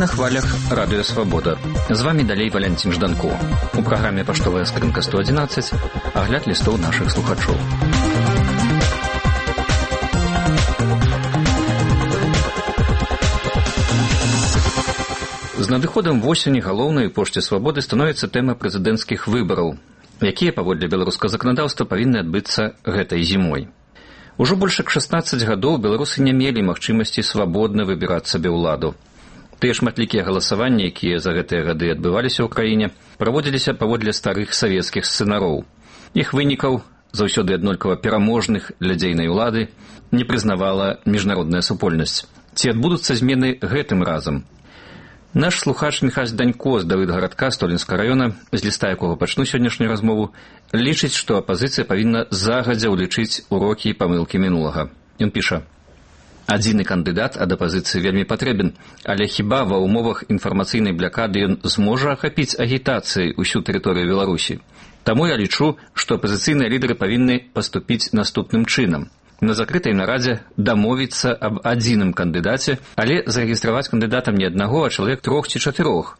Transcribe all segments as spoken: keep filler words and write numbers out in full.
на хвалях Радыё Свабода. З вами далей Валянцін Жданко. У праграме «Паштовая скрынка сто адзінаццаць» агляд лістоў нашых слухачоў. З надыходам восені галоўнай пошце свабоды становіцца тэма прэзідэнцкіх выбараў, якія, паводле беларускага заканадаўства, павінны адбыцца гэтай зімой. Ужо больш як шаснаццаць гадоў беларусы не мелі магчымасці свабодна выбіраць сабе ўладу. Тыя шматлікія галасаванні, якія за гэтыя гады адбываліся ў краіне, праводзіліся паводле старых савецкіх сцэнароў. Іх вынікаў, заўсёды аднолькава пераможных для дзейнай улады, не прызнавала міжнародная супольнасць. Ці адбудуцца змены гэтым разам? Наш слухач Міхась Данько з Давыдгарадка Столінскага раёна, з ліста якога пачну сённяшнюю размову, лічыць, што апазіцыя павінна загадзя ўлічыць урокі і памылкі мінулага. Ён піша: «Адзіны кандыдат ад апазіцыі вельмі патрэбен, але хіба ва ўмовах інфармацыйнай блякады ён зможа ахапіць агітацыяй усю тэрыторыю Беларусі? Таму я лічу, што апазіцыйныя лідары павінны паступіць наступным чынам. На закрытай нарадзе дамовіцца аб адзіным кандыдаце, але зарэгістраваць кандыдатам не аднаго, а чалавек трох ці чатырох,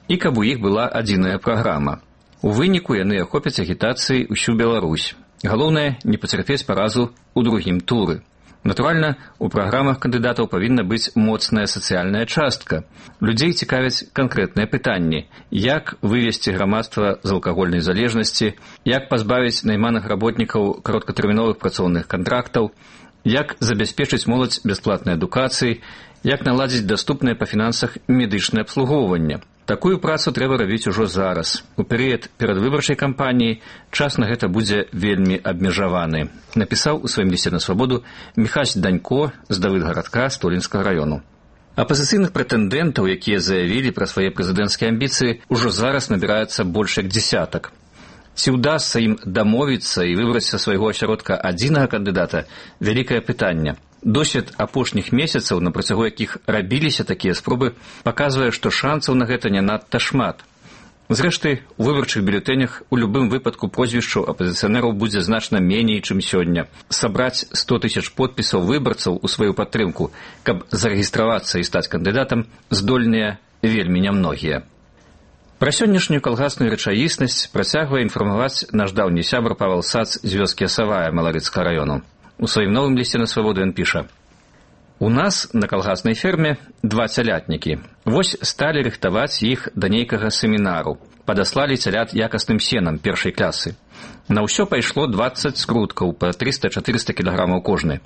і каб у іх была адзіная праграма. У выніку яны ахопяць агітацыяй усю Беларусь. Галоўнае, не пацярпець паразу ў другім туры. Натуральна, у праграмах кандыдатаў павінна быць моцная сацыяльная частка. Людзей цікавяць канкрэтныя пытанні: як вывесці грамадства з алкагольнай залежнасці, як пазбавіць найманых работнікаў кароткатэрміновых працоўных кантрактаў, як забяспечыць моладзь бясплатнай адукацыяй, як наладзіць даступнае па фінансах медычнае абслугоўванне. Такую працу трэба рабіць ужо зараз. У перыяд перадвыбарчай кампаніі час на гэта будзе вельмі абмежаваны», напісаў у сваім лісце на свабоду Міхась Данько з Давыдгарадка Столінскага раёну. Апазіцыйных прэтэндэнтаў, якія заявілі пра свае прэзідэнцкія амбіцыі, ужо зараз набіраецца больш як дзесятак. Ці ўдасца ім дамовіцца і выбраць са свайго асяродка адзінага кандыдата – вялікае пытанне. Досвед апошніх месяцаў, на працягу якіх рабіліся такія спробы, паказвае, што шансаў на гэта не надта шмат. Зрэшты, у выбарчых бюлетэнях у любым выпадку прозвішчаў апазіцыянераў будзе значна меней, чым сёння. Сабраць сто тысяч подпісаў выбарцаў у сваю падтрымку, каб зарэгістравацца і стаць кандыдатам, здольныя вельмі нямногія. Пра сённяшнюю калгасную рэчаіснасць працягвае інфармаваць наш даўні сябар Павел Сац з вёскі Асавая Маларыцкага раёну. У сваім новым лісце на свабоду ён піша: «У нас на калгаснай ферме два цялятнікі. Вось сталі рыхтаваць іх да нейкага семінару. Падаслалі цялят якасным сенам першай клясы. На ўсё пайшло дваццаць скруткаў па трыста-чатырыста кілаграмаў кожны.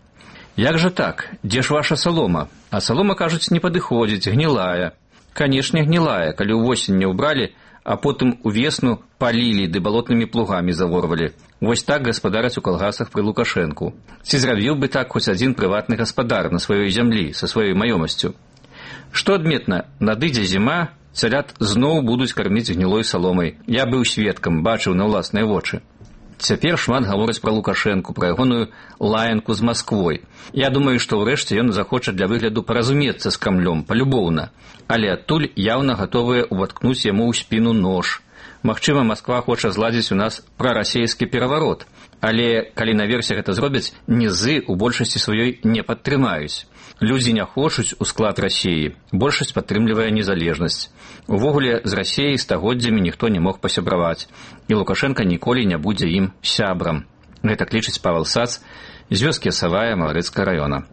Як жа так? Дзе ж ваша салома? А салома, кажуць, не падыходзіць, гнілая. Канешне, гнілая, калі ўвосень не ўбралі, а потым увесну палілі ды балотнымі плугамі заворвалі. Вось так гаспадараць у калгасах пры Лукашэнку. Ці зрабіў бы так хоць адзін прыватны гаспадар на сваёй зямлі, са сваёй маёмасцю? Што адметна, надыдзе зіма, цялят зноў будуць карміць гнілой саломай. Я быў сведкам, бачыў на ўласныя вочы. Цяпер шмат гавораць пра Лукашэнку, пра ягоную лаянку з Масквой. Я думаю, што ўрэшце ён захоча для выгляду паразумецца з Крамлём, палюбоўна. Але адтуль яўна гатовыя ўваткнуць яму ў спіну нож. Магчыма, Масква хоча зладзіць у нас прарасейскі пераварот. Але калі наверсе гэта зробяць, нізы ў большасці сваёй не падтрымаюць. Людзі не хочуць у склад Расіі. Большасць падтрымлівае незалежнасць. Увогуле, з Расіяй стагоддзямі ніхто не мог пасябраваць. І Лукашенка ніколі не будзе ім сябрам. Гэтак лічыць Павел Сац з вёскі Асавая Маларыцкага раёна.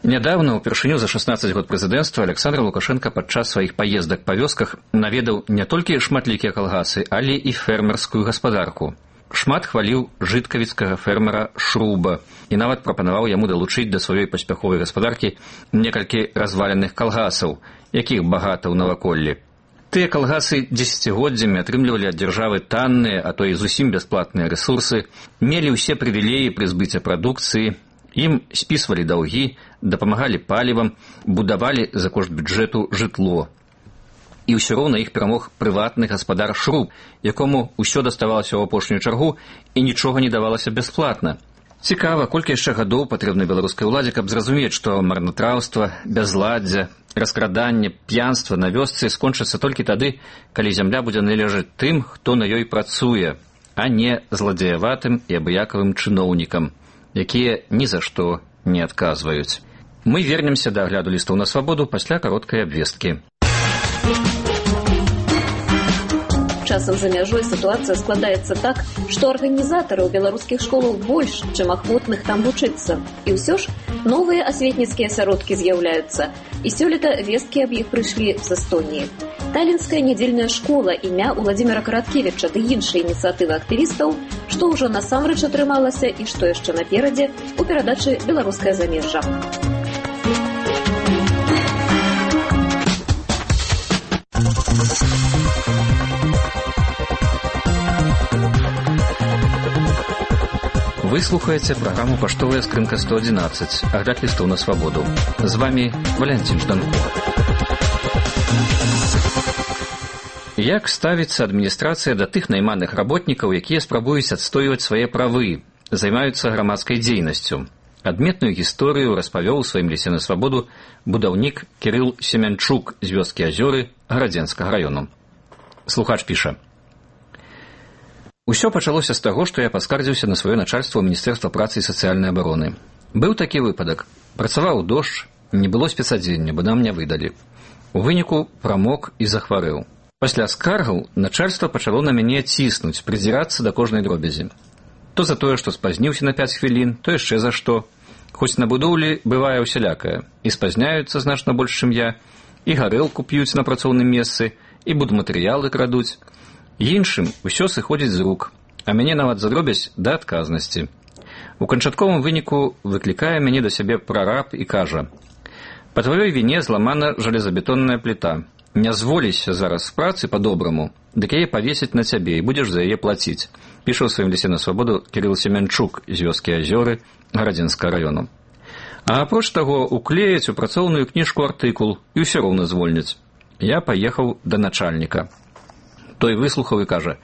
Нядаўна, упершыню за шаснаццаць год прэзідэнцтва, Александр Лукашенко падчас сваіх паездак па вёсках наведаў не толькі шматлікія калгасы, але і фермерскую гаспадарку. Шмат хваліў жыткавіцкага фермера Шруба і нават прапанаваў яму далучыць да сваёй паспяховай гаспадаркі некалькі разваленых калгасаў, якіх багата ў наваколлі. Тыя калгасы дзесяцігоддзямі атрымлівалі ад дзяржавы танныя, а то і зусім бясплатныя рэсурсы, мелі ўсе прывілеі пры збыце прадукцыі, ім спісвалі даўгі, дапамагалі палівам, будавалі за кошт бюджэту жытло. І ўсё роўна іх перамог прыватны гаспадар Шруб, якому ўсё даставалася ў апошнюю чаргу і нічога не давалася бясплатна. Цікава, колькі яшчэ гадоў патрэбна беларускай уладзе, каб зразумець, што марнатраўства, бязладдзе, раскраданне, п'янства на вёсцы скончыцца толькі тады, калі зямля будзе належаць тым, хто на ёй працуе, а не зладзеяватым і абыякавым чыноўнікам, якія ні за што не адказваюць. Мы вернемся да агляду лістаў на свабоду пасля кароткай абвесткі. Часам за мяжой ситуация складаецца так, што арганізатараў беларускіх школаў больш, чым ахвотных там вучыцца. І ўсё ж новыя асветніцкія асяродкі з'яўляюцца. І сёлета весткі аб іх прыйшлі з Эстоніі. Талінская нядзельная школа імя Уладзіміра Караткевіча ды іншыя ініцыятывы актывістаў, што ўжо насамрэч атрымалася і што яшчэ наперадзе у перадачы «Беларускае замежжа». Вы слухаеце праграму «Паштовая скрынка сто адзінаццаць», агляд лістаў на свабоду. З вами Валянцін Жданко. Як ставіцца адміністрацыя да тых найманых работнікаў, якія спрабуюць адстойваць свае правы, займаюцца грамадскай дзейнасцю? Адметную гісторыю распавёў у сваім лісце на свабоду будаўнік Кірыл Семянчук з вёскі Азёры Гарадзенскага раёну. Слухач піша: «Усё пачалося з таго, што я паскардзіўся на сваё начальство Міністэрства працы і сацыяльнай абароны. Быў такі выпадак. Працаваў дождж, не было спецадзення, бо нам не выдалі. У выніку прамок і захварэў. Пасля скаргаў начальства пачало на мяне ціснуць, придзірацца да кожнай дробязі. То за тое, што спазніўся на пяць хвілін, то яшчэ за што. Хоць на будоўлі бывае ўсялякае. І спазняюцца значна больш, чым я, і гарэлку п'юць на працоўным месцы, і будматэрыялы крадуць. Іншым усё сыходзіць з рук, а мяне нават за дробязь да адказнасці. У канчатковым выніку выклікае мяне да сябе прараб і кажа: «Па тваёй віне зламана жалезабетонная пліта. Не зволіся зараз з працы па-добраму, дык яе павесіць на цябе і будзеш за яе плаціць», піша ў сваім лісце на свабоду Кірыл Семянчук з вёскі Азёры Гарадзенскага раёну. А апроч таго, уклеяць у працоўную кніжку артыкул і ўсё роўна звольняць. Я паехаў да начальніка. Той выслухаў і кажа: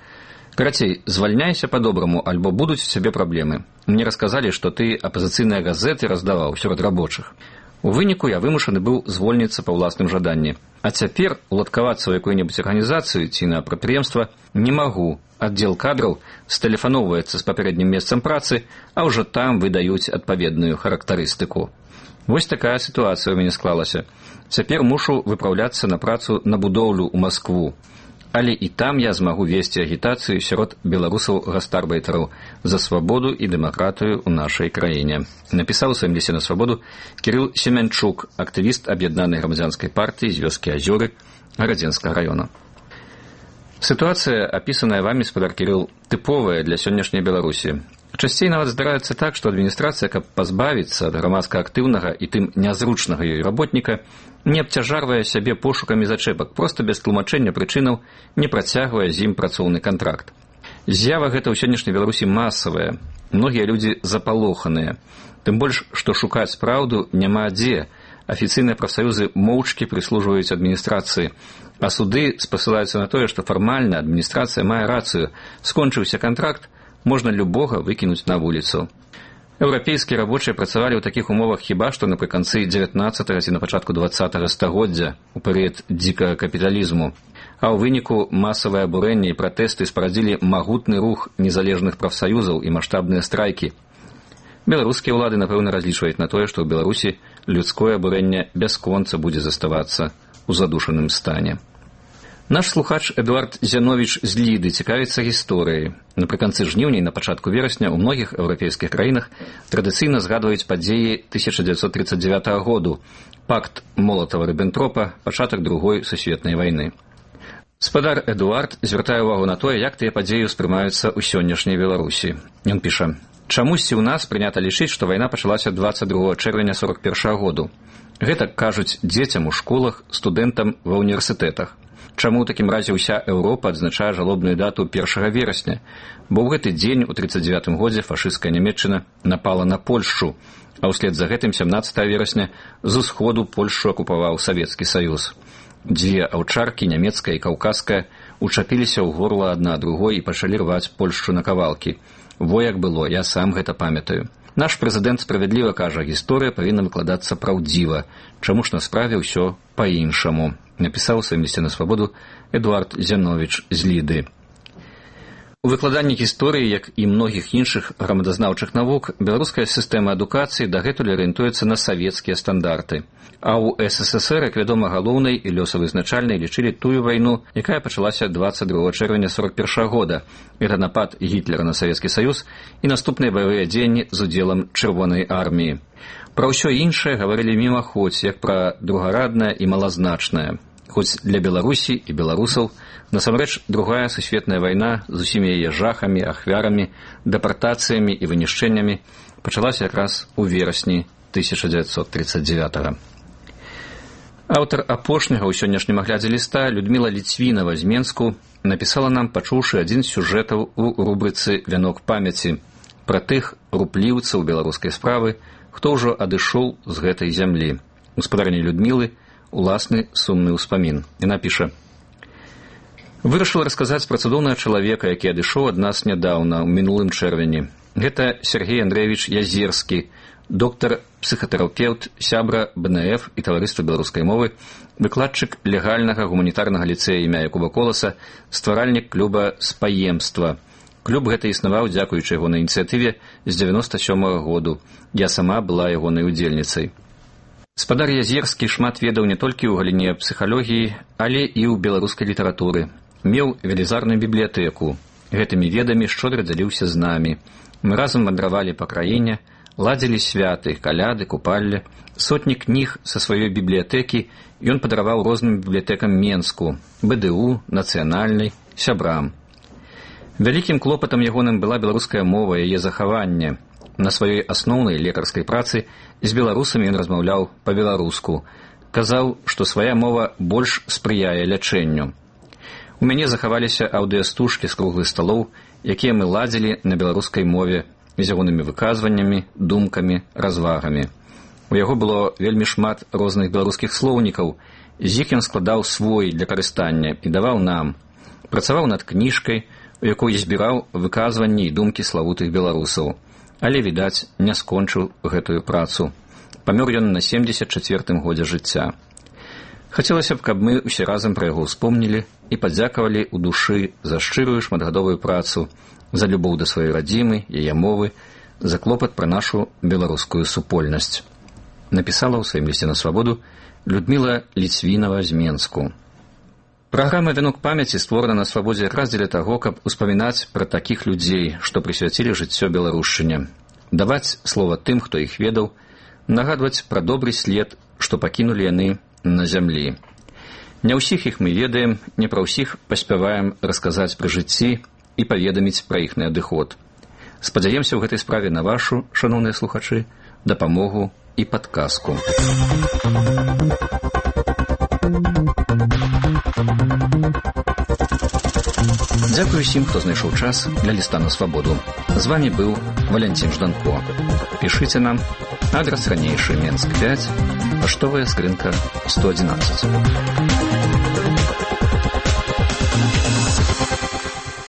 «Карацей, звальняйся па-добраму, альбо будуць у цябе праблемы. Мне расказалі, што ты апазіцыйныя газеты раздаваў сярод рабочых. У выніку я вымушаны быў звольніцца па ўласным жаданні. А цяпер уладкавацца ў якую-небудзь арганізацыю ці на прадпрыемства не магу. Аддзел кадраў стэлефаноўваецца з папярэднім месцам працы, а ўжо там выдаюць адпаведную характарыстыку. Вось такая сітуацыя ў мяне склалася. Цяпер мушу выпраўляцца на працу на будоўлю ў Маскву. Але і там я змагу весці агітацыю сярод беларусаў-гастарбайтараў за свабоду і дэмакратыю ў нашай краіне», напісаў у сваім лісце на свабоду Кірыл Семянчук, актывіст аб'яднанай грамадзянскай партыі з вёскі Азёры Гарадзенскага раёна. Сітуацыя, апісаная вамі, спадар Кірыл, тыповая для сённяшняй Беларусі. Часцей нават здараецца так, што адміністрацыя, каб пазбавіцца ад грамадска актыўнага і тым нязручнага ёй работніка, не абцяжарвае сябе пошукамі зачэпак, проста без тлумачэння прычынаў не працягвае з ім працоўны кантракт. З'ява гэта ў сённяшняй Беларусі масавая. Многія людзі запалоханыя. Тым больш, што шукаць праўду няма дзе. Афіцыйныя прафсаюзы моўчкі прыслужваюць адміністрацыі, а суды спасылаюцца на тое, што фармальна адміністрацыя мае рацыю. Скончыўся кантракт, можна любога выкінуць на вуліцу. Еўрапейскія рабочыя працавалі ў такіх умовах хіба што напрыканцы дзевятнаццатага ці на пачатку дваццатага стагоддзя, у перыяд дзікага капіталізму. А ў выніку масавае абурэнне і пратэсты спарадзілі магутны рух незалежных прафсаюзаў і маштабныя страйкі. Беларускія ўлады, напэўна, разлічваюць на тое, што ў Беларусі людское абурэнне бясконца будзе заставацца ў задушаным стане. Наш слухач Эдуард Зяновіч з Ліды цікавіцца гісторыяй. Напрыканцы жніўня і на пачатку верасня ў многіх еўрапейскіх краінах традыцыйна згадваюць падзеі тысяча дзевяцьсот тридцать девятого году, пакт Молатава-Рыббентропа, пачатак другой сусветнай вайны. Спадар Эдуард звяртае ўвагу на тое, як тыя падзеі ўспрымаюцца ў сённяшняй Беларусі. Ён піша: «Чамусьці ў нас прынята лічыць, што вайна пачалася дваццаць другога чэрвеня сорок першага году. Гэта кажуць дзецям у школах, студэнтам ва ўніверсітэтах. Чаму ў такім разе ўся Еўропа адзначае жалобную дату першага верасня? Бо ў гэты дзень у тридцать девятым годзе фашысцкая Нямецчына напала на Польшчу, а ўслед за гэтым сямнаццатага верасня з усходу Польшчу акупаваў Савецкі Саюз. Дзве аўчаркі, нямецкая і каўказская, учапіліся ў горла адна другой і пачалі рваць Польшчу на кавалкі. Во як было, я сам гэта памятаю. Наш прэзідэнт справядліва кажа, гісторыя павінна выкладацца праўдзіва. Чаму ж на справе ўсё па-іншаму», напісаў у сваім лісце на свабоду Эдуард Зяновіч з Ліды. У выкладанні гісторыі, як і многіх іншых грамадазнаўчых навук, беларуская сістэма адукацыі дагэтуль арыентуецца на савецкія стандарты. А ў СССР, як вядома, галоўнай і лёсавызначальнай лічылі тую вайну, якая пачалася дваццаць другога чэрвеня сорок першага года. Это напад Гітлера на Савецкі Саюз і наступныя баявыя дзеянні з удзелам Чырвонай арміі. Пра ўсё іншае гаварылі мімаходзь, як пра другараднае і малазначнае. Хоць для Беларусі і беларусаў насамрэч другая сусветная вайна з усімі яе жахамі, ахвярамі, дэпартацыямі і вынішчэннямі пачалася якраз у верасні тысяча дзевяцьсот тридцать девятого. Аўтар апошняга ў сённяшнім аглядзе ліста Людміла Ліцвінава з Менску напісала нам, пачуўшы адзін з сюжэтаў у рубрыцы «Вянок памяці» пра тых рупліўцаў беларускай справы, хто ўжо адышоў з гэтай зямлі. Гаспадарыня Людмілы уласны сумны ўспамін. Яна піша: «Вырашыла расказаць пра цудоўнага чалавека, які адышоў ад нас нядаўна, у мінулым чэрвені. Гэта Сергей Андреевич Язерскі, доктар-псіхатэрапеўт, сябра бэ эн эф і таварыства беларускай мовы, выкладчык легальнага гуманітарнага ліцэя імя Якуба Коласа, стваральнік клуба «Спаемства». Клуб гэты існаваў дзякуючы ягонай ініцыятыве з дзевяноста сёмага году. Я сама была ягонай удзельніцай. Спадар Язерскі шмат ведаў не толькі ў галіне псіхалогіі, але і ў беларускай літаратуры. Меў велізарную бібліятэку. Гэтымі ведамі шчодра дзяліўся з намі. Мы разам вандравалі па краіне, ладзілі святы, каляды, купалле. Сотні кніг са сваёй бібліятэкі ён падараваў розным бібліятэкам Менску, бэ дэ у, нацыянальнай, сябрам. Вялікім клопатам ягоным была беларуская мова, яе захаванне. На сваёй асноўнай лекарскай працы з беларусамі ён размаўляў па-беларуску. Казаў, што свая мова больш спрыяе лячэнню. У мяне захаваліся аўдыастужкі з круглых сталоў, якія мы ладзілі на беларускай мове з ягонымі выказваннямі, думкамі, развагамі. У яго было вельмі шмат розных беларускіх слоўнікаў, з іх ён складаў свой для карыстання і даваў нам. Працаваў над кніжкай, у якой збіраў выказванні і думкі славутых беларусаў. Але, відаць, не скончыў гэтую працу. Памёр ён на семдзесят чацвёртым годзе жыцця. Хацелася б, каб мы ўсе разам пра яго ўспомнілі і падзякавалі ў душы за шчырую шматгадовую працу, за любоў да сваёй радзімы, яе мовы, за клопат пра нашу беларускую супольнасць. Напісала ў сваім лісце на свабоду Людміла Ліцвінава з Менску. Праграма «Вянок памяці» створана на свабодзе якраз дзеля таго, каб успамінаць пра такіх людзей, што прысвяцілі жыццё беларушчыне, даваць слова тым, хто іх ведаў, нагадваць пра добры след, што пакінулі яны на зямлі. Не ўсіх іх мы ведаем, не пра ўсіх паспяваем расказаць пры жыцці і паведаміць пра іхны адыход. Спадзяемся ў гэтай справе на вашу, шаноўныя слухачы, дапамогу і падказку. Дзякую усім, хто знайшоў час для ліста на свабоду. З вами быў Валянцін Жданко. Пішыце нам. Адрас ранейшы Менск пять, паштовая скрынка сто одиннадцать.